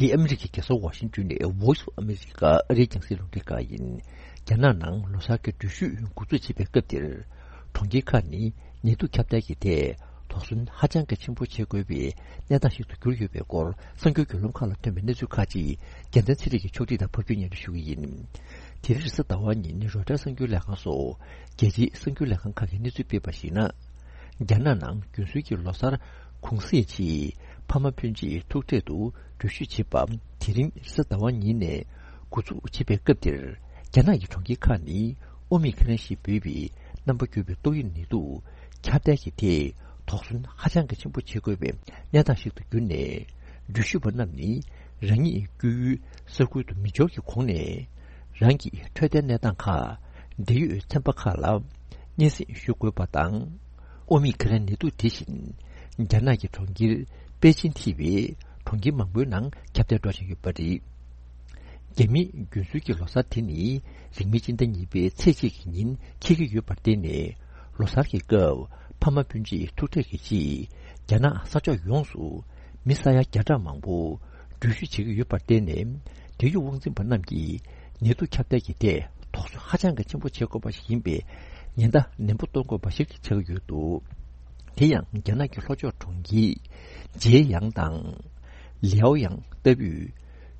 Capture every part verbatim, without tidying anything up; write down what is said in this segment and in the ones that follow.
འདི་ཨ་མི་རི་ཀའི་རྒྱལ་ས་ཝ་ཤིང་ཏོན་ནས་Voice of America ཨ་རིའི་རྒྱང་སྲིང་རླུང་འཕྲིན་ཁང་ཡིན། རྒྱ་ནག་ནང་ལོ་གསར་གྱི་འགྲུལ་བཞུད་འགོ་འཛུགས་བྱེད་པའི་སྐབས་འདིར། གྲོང་ཁྱེར་ཁག་ནི་ནེ་ཏུ་ཁྱབ་གདལ་གྱི་ཐད་དོགས་ཟོན་ཧ་ཅང་གི་ཆེན་པོ་བྱེད་དགོས་པའི་གནས་སྟངས་ཤིག་ཏུ་གྱུར་ཡོད་པའི་སྐོར་གསར་འགྱུར་བརྒྱུད་ལམ་ཁག་ལ་ཐོན་པའི་གནས་ཚུལ་ཁག་ཅིག་རྒྱལ་མཚན་ཚེ་རིང་གིས་ཕྱོགས་སྒྲིག་དང་ཕབ་སྒྱུར་སྙན་སྒྲོན་ཞུ་གི་ཡིན། དེ་རིང་རེས་གཟའ་ཟླ་བ་ཉིན་རོའི་ཊར་གསར་འགྱུར་ལས་ཁང་སོགས་རྒྱལ་སྤྱིའི་གསར་འགྱུར་ལས་ཁང་ཁག་གིས་གནས་ཚུལ་སྤེལ་བར་གཞིགས་ན། རྒྱ་ནག་ནང་རྒྱུན་སྲོལ་གྱི་ལོ་གསར་གུང་གསེང་ཆེད་ཕ་མ་སྤུན་མཆེད་ཐུག་འཕྲད་དུ་འགྲུལ་བཞུད་བྱེད་པ་དེ་རིང་རེས་གཟའ་ཟླ་བ་ཉིན་ནས་འགོ་འཛུགས་བྱེད་པའི་སྐབས་འདིར། རྒྱ་ནག་གི་གྲོང་ཁྱེར་ཁག་ནི་ཨོ་མི་ཁི་རན་ཞེས་འབོད་པའི་རྣམ་པ་འགྱུར་བའི་ཏོག་དབྱིབས་ནད་དུག་ཁྱབ་གདལ་གྱི་ཐད་དོགས་ཟོན་ཧ་ཅང་གི་ཆེན་པོ་བྱེད་དགོས་པའི་གནས་སྟངས་ཤིག་ཏུ་གྱུར་ནས། འགྲུལ་བཞུད་པ་རྣམས་ནི་རང་ཉིད་བསྐྱོད་ཡུལ་ས་ཁུལ་དུ་མི་འབྱོར་གྱི་གོང་ནས། རང་གི་འཕྲོད་བསྟེན་གནས་སྟངས་ཁག་འབྲེལ་ཡོད་ཚན་པ་ཁག་ལ་སྙན་སེང་ཞུ་དགོས་པ་དང་། ཨོ་མི་ཁི་རན་ནད་དུག་དེ་བཞིན་རྒྱ་ནག་གི་གྲོང་ཁྱེར་པེ་ཅིན་ཐེ་བའི་གྲོང་ཁྱེར་མང་པོའི་ནང་ཁྱབ་གདལ་འགྲོ་བཞིན་ཡོད་པ་རེད། རྒྱ་མིའི་རྒྱུན་སྲོལ་གྱི་ལོ་གསར་དེ་ནི་རིང་མིན་སྤྱི་ཟླ་གཉིས་པའི་ཚེས་གཅིག་གི་ཉིན་འཁེལ་གྱི་ཡོད་པར་བརྟེན་ནས། ལོ་གསར་གྱི་སྐབས་ཕ་མ་སྤུན་མཆེད་ཐུག་འཕྲད་ཀྱི་ཆེད་རྒྱ་ནག་ས་ཕྱོགས་ཡོངས་སུ་མི་ས་ཡ་བརྒྱ་ཕྲག་མང་པོ་འགྲུལ་བཞུད་བྱེད་ཀྱི་ཡོད་པར་བརྟེན་ནས། འབྲེལ་ཡོད་དབང་འཛིན་པ་རྣམས་ཀྱིས་ནད་དུག་ཁྱབ་གདལ་གྱི་ཐད་དོགས་ཟོན་ཧ་ཅང་གི་ཆེན་པོ་བྱེད་དགོས་པ་ཞིག་ཡིན་པའི་ཉེན་བརྡ་ནན་པོ་གཏོང་དགོས་པ་ཞིག་ཆགས་ཀྱི་ཡོད་འདུག་དེ་ཡང་རྒྱ་ནག་གི་ལྷོ་ཕྱོགས་གྲོང་ཁྱེར་ཇེ་ཡང་དང་། ལེའོ་ཡང་ལྟ་བུའི་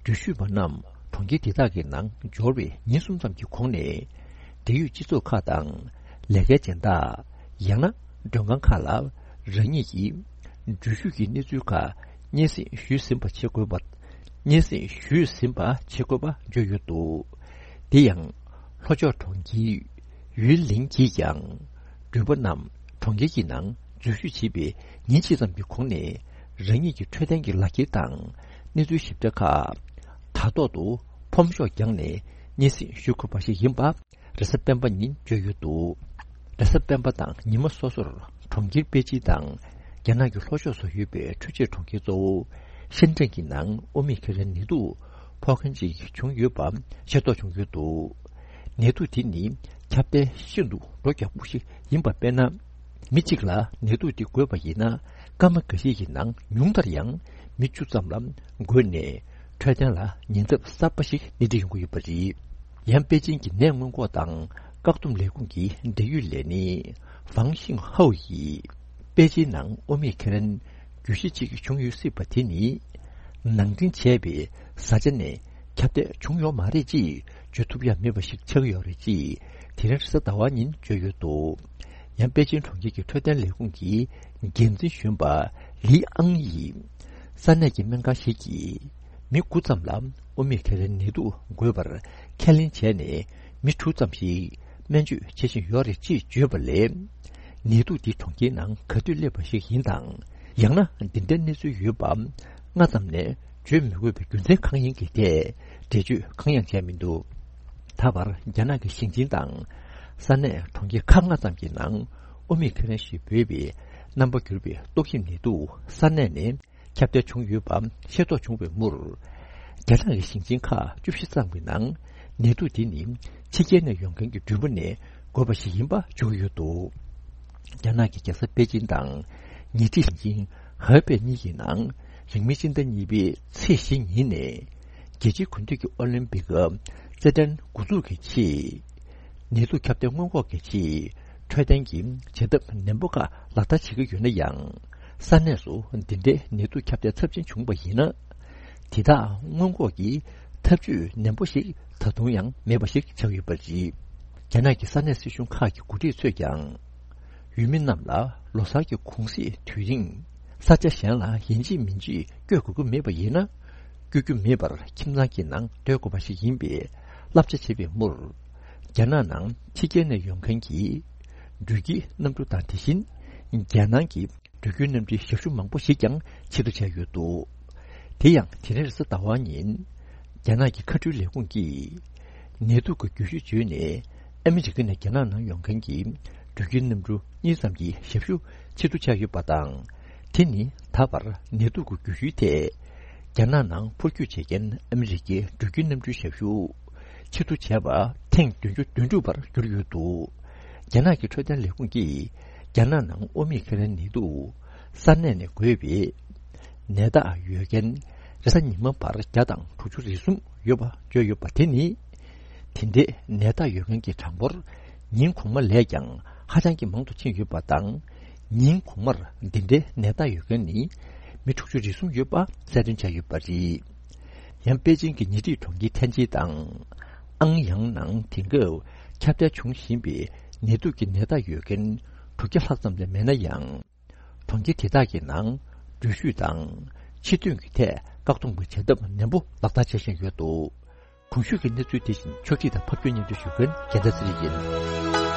འགྲུལ་བཞུད་པ་རྣམས་གྲོང་ཁྱེར་དེ་དག་གི་ནང་འབྱོར་བའི་ཉིན་གསུམ་ཙམ་གྱི་གོང་ནས། འབྲེལ་ཡོད་སྤྱི་ཚོགས་ཁག་དང་ལས་ཀའི་སྦྱིན་བདག་ཡང་ན་མགྲོན་ཁང་ཁག་ལ་རང་ཉིད་ཀྱི་འགྲུལ་བཞུད་ཀྱི་གནས་ཚུལ་ཁག་སྙན་སེང་ཞུས་ཟིན་པ་བྱེད་དགོས་པ། སྙན་སེང་ཞུས་ཟིན་པ་བྱེད་དགོས་པ་བརྗོད་ཡོད་འདུག་དེ་ཡང་ལྷོ་ཕྱོགས་གྲོང་ཁྱེར་ཡུན་ལིང་གིས་ཀྱང་། འགྲུལ་པ་རྣམས་གྲོང་ཁྱེར་གྱི་ནང་འཛུལ་ཞུགས་བྱེད་པའི་ཉིན་གཅིག་ཙམ་གྱི་གོང་ནས། རང་ཉིད་ཀྱི་འཕྲོད་བསྟེན་གྱི་ལག་འཁྱེར་དང་གནས་ཚུལ་ཞིབ་ཕྲ་ཁག་དྲ་ཐོག་ཏུ་ཕོམ་ཤོག་བརྒྱངས་ནས་སྙན་སེང་ཞུ་དགོས་པ་ཞིག་ཡིན་པ། རེས་གཟའ་སྤེན་པ་ཉིན་བརྗོད་ཡོད་འདུག་རེས་གཟའ་སྤེན་པ་དང་ཉི་མ་སོ་སོར་གྲོང་ཁྱེར་པེ་ཅིན་དང་རྒྱ་ནག་གི་ལྷོ་ཕྱོགས་སུ་ཡོད་པའི་འཕྲུལ་ཆས་གྲོང་ཁྱེར་གཙོ་བོ་ཤན་ཀྲེང་གི་ནང་ཨོ་མི་ཁི་རན་ནད་དུག་ཕོག་མཁན་ཅིག་བྱུང་ཡོད་པ་ཤེས་རྟོགས་བྱུང་ཡོད་འདུག་ནད་དུག་དེ་ནི་ཁྱབ་གདལ་ཤིན་ཏུ་འགྲོ་རྒྱག་པོ་ཞིག་ཡིན་པ། དཔེར་ན། མི་གཅིག་ལ་ནད་དུག་དེ་འགོས་པ་ཡིན་ན། སྐར་མ་འགའ་ཤས་ཀྱི་ནང་ཉུང་མཐར་ཡང་མི་བཅུ་ཙམ་ལ་འགོས་ནས། འཕྲོད་བསྟེན་ལ་ཉེན་ཚབས་གསར་པ་ཞིག་སྣེ་ཁྲིད་ཡོང་གི་ཡོད་པ་རེད། ཡང་པེ་ཅིན་གྱི་ནད་སྔོན་འགོག་དང་བཀག་སྡོམ་ལས་ཁུངས་ཀྱི་འབྲེལ་ཡོད་ལས་སྣེ་ཧྥང་ཤིང་ཧའོ་ཡིས། པེ་ཅིན་ནང་ཨོ་མི་ཁི་རན་རྒྱུད་གཞི་གཅིག་བྱུང་ཡོད་སྲིད་པ་དེ་ནི། ནང་འདྲེན་བྱས་པའི་བཟའ་བཅའ་ནས་ཁྱབ་གདལ་བྱུང་ཡོད་མ་རེད་ཅེས་བརྗོད་ཐུབ་ཡ་མེད་པ་ཞིག་ཆགས་ཡོད་རེད་ཅེས་དེ་རིང་རེས་གཟའ་ཟླ་བ་ཉིན་བརྗོད་ཡོད་འདུག་ཡང་པེ་ཅིན་གྲོང་ཁྱེར་གྱི་འཕྲོད་བསྟེན་ལས་ཁུངས་ཀྱི་འགན་འཛིན་གཞོན་པ་ལི་ཨང་ཡིས། ས་གནས་ཀྱི་སྨན་ཁང་ཞིག་གིས་མི་དགུ་ཙམ་ལ་ཨོ་མི་ཁི་རན་ནད་དུག་འགོས་པར་ཁས་ལེན་བྱས་ནས། མི་དྲུག་ཙམ་ཞིག་སྨན་བཅོས་བྱེད་བཞིན་ཡོད་རེད་ཅེས་བརྗོད་པ་ལས། ནད་དུག་འདི་གྲོང་ཁྱེར་ནང་ག་དུས་སླེབས་པ་ཞིག་ཡིན་དང་། ཡང་ན་འདི་འདྲའི་གནས་ཚུལ་ཡོད་པ་སྔ་ཙམ་ནས་བརྗོད་མི་དགོས་པའི་རྒྱུ་མཚན་གང་ཡིན་གྱི་ཐད་འགྲེལ་བརྗོད་གང་ཡང་བྱས་མི་འདུག་ད་བར་རྒྱ་ནག་གི་ཞིང་ཆེན་དང་ས་གནས་གྲོང་ཁྱེར་ཁག་ལྔ་ཙམ་གྱི་ནང་ཨོ་མི་ཁི་རན་ཞེས་འབོད་པའི་རྣམ་པ་འགྱུར་བའི་ཏོག་དབྱིབས་ནད་དུག་ས་གནས་ནས་ཁྱབ་གདལ་བྱུང་ཡོད་པ་ཤེས་རྟོགས་བྱུང་བའི་མུར། རྒྱ་ནག་གི་ཞིང་ཆེན་ཁག་བཅུ་བཞི་ཙམ་གྱི་ནང་ནད་དུག་དེ་ནི་ཕྱི་རྒྱལ་ནས་ཡོང་མཁན་གྱི་འགྲུལ་པ་ནས་འགོས་པ་ཞིག་ཡིན་པ་བརྗོད་ཀྱི་ཡོད་འདུག་རྒྱ་ནག་གི་རྒྱལ་ས་པེ་ཅིན་དང་ཉེ་འཁྲིས་ཞིང་ཆེན་ཧེ་པེ་གཉིས་ཀྱི་ནང་རིང་མིན་སྤྱི་ཟླ་གཉིས་པའི་ཚེས་བཞི་ཉིན་ནས་རྒྱལ་སྤྱིའི་དགུན་དུས་ཀྱི་ཨོ་ལིམ་པིག་རྩེད་འགྲན་འགོ་འཛུགས་ཀྱི་ཆེད། ནད་དུག་ཁྱབ་གདལ་སྔོན་འགོག་གི་ཆེད་འཕྲོད་བསྟེན་གྱི་བྱེད་ཐབས་ནན་པོ་ཁག་ལག་བསྟར་བྱེད་ཀྱི་ཡོད་ན་ཡང་། ས་གནས་སུ་འདི་འདྲའི་ནད་དུག་ཁྱབ་གདལ་ཚབས་ཆེན་བྱུང་བ་ཡིན་ན། དེ་དག་སྔོན་འགོག་གི་ཐབས་ཇུས་ནན་པོ་ཞིག་ད་དུང་ཡང་མེད་པ་ཞིག་ཆགས་ཡོད་པ་རེད། རྒྱ་ནག་གི་ས་གནས་སྲིད་གཞུང་ཁག་གི་འགོ་ཁྲིད་ཚོས་ཀྱང་། ཡུལ་མི་རྣམས་ལ་ལོ་གསར་གྱི་གུང་གསེང་དུས་རིང་ས་ཆ་གཞན་ལ་ཡིན་གཅིག་མིན་གཅིག་བསྐྱོད་དགོས་ཀྱི་མེད་པ་ཡིན་ན། བསྐྱོད་རྒྱུ་མེད་པར་ཁྱིམ་ཚང་གི་ནང་སྡོད་དགོས་པ་ཞིག་ཡིན་པའི་བསླབ་བྱ་བྱས་པའི་མུར། རྒྱ་ནག་ནང་ཕྱི་རྒྱལ་ནས་ཡོང་མཁན་གྱི་འགྲུལ་སྐྱེལ་གནམ་གྲུ་དང་། དེ་བཞིན་རྒྱལ་ནང་གི་འགྲུལ་སྐྱོད་གནམ་གྲུའི་ཞབས་ཞུ་མང་པོ་ཞིག་ཀྱང་ཆེད་དུ་བྱས་ཡོད་འདུག་དེ་ཡང་དེ་རིང་རེས་གཟའ་ཟླ་བ་ཉིན། རྒྱ་ནག་གི་མཁའ་འགྲུལ་ལས་ཁུངས་ཀྱིས། ནད་དུག་གི་རྒྱུ་ཤུལ་བརྗོད་ནས་ཨ་མི་རི་ཀ་ནས་རྒྱ་ནག་ནང་ཡོང་མཁན་གྱི་འགྲུལ་སྐྱེལ་གནམ་གྲུ་གཉིས་ཙམ་གྱི་ཞབས་ཞུ་ཆེད་དུ་བྱས་ཡོད་པ་དང་། དེ་ནི་ད་བར་ནད་དུག་གི་རྒྱུ་ཤུལ་ཐད། རྒྱ་ནག་ནང་འཕུར་སྐྱོད་བྱེད་མཁན་ཨ་མི་རི་ཀའི་འགྲུལ་སྐྱེལ་གནམ་གྲུའི་ཞབས་ཞུ་ཆེད་དུ་བྱས་པ་ཐེངས་བདུན་ཅུ་དོན་དྲུག་པར་གྱུར་ཡོད་འདུག་རྒྱ་ནག་གི་འཕྲོད་བསྟེན་ལས་ཁུངས་ཀྱིས་རྒྱ་ནག་ནང་ཨོ་མི་ཁི་རན་ནད་དུག་ས་གནས་ནས་འགོས་པའི་ནད་རྟགས་ཡོད་མཁན་ རེས་གཟའ་ཉི་མ་བར་བརྒྱ་དང་དྲུག་ཅུ་རེ་གསུམ་ཡོད་པ་བརྗོད་ཡོད་པ་དེ་ནི། དེ་འདྲའི་ནད་རྟགས་ཡོད་མཁན་གྱི་གྲངས་འབོར་ཉིན་གོང་མ་ལས་ཀྱང་ཧ་ཅང་གི་མང་དུ་ཕྱིན་ཡོད་པ་དང་། ཉིན་གོང་མར་འདི་འདྲའི་ནད་རྟགས་ཡོད་མཁན་ནི་མི་དྲུག་ཅུ་རེ་གསུམ་ཡོད་པ་གསལ་སྟོན་བྱས་ཡོད་པ་རེད། ཡང་པེ་ཅིང་གི་ཉེ་འཁྲིས་གྲོང་ཁྱེར་ཐན་ཅི་དང་། ཨང་ཡང་ནང་དེང་སྐབས་ཁྱབ་གདལ་འབྱུང་བཞིན་པའི་ནད་དུག་གི་ནད་རྟགས་ཡོད་མཁན་དྲུག་བརྒྱ་ལྷག་ཙམ་ལས་མེད་ན་ཡང་། གྲོང་ཁྱེར་དེ་དག་གི་ནང་འགྲུལ་བཞུད་དང་ཕྱིར་ཐོན་གྱི་ཐད་བཀག་སྡོམ་གྱི་བྱ་ཐབས་ནན་པོ་ལག་བསྟར་བྱེད་བཞིན་ཡོད་འདུག་གོང་ཞུས་ཀྱི་གནས་ཚུལ་དེ་བཞིན་ཕྱོགས་སྒྲིག་དང་ཕབ་སྒྱུར་སྙན་སྒྲོན་ཞུ་མཁན་རྒྱལ་མཚན་ཚེ་རིང་ཡིན།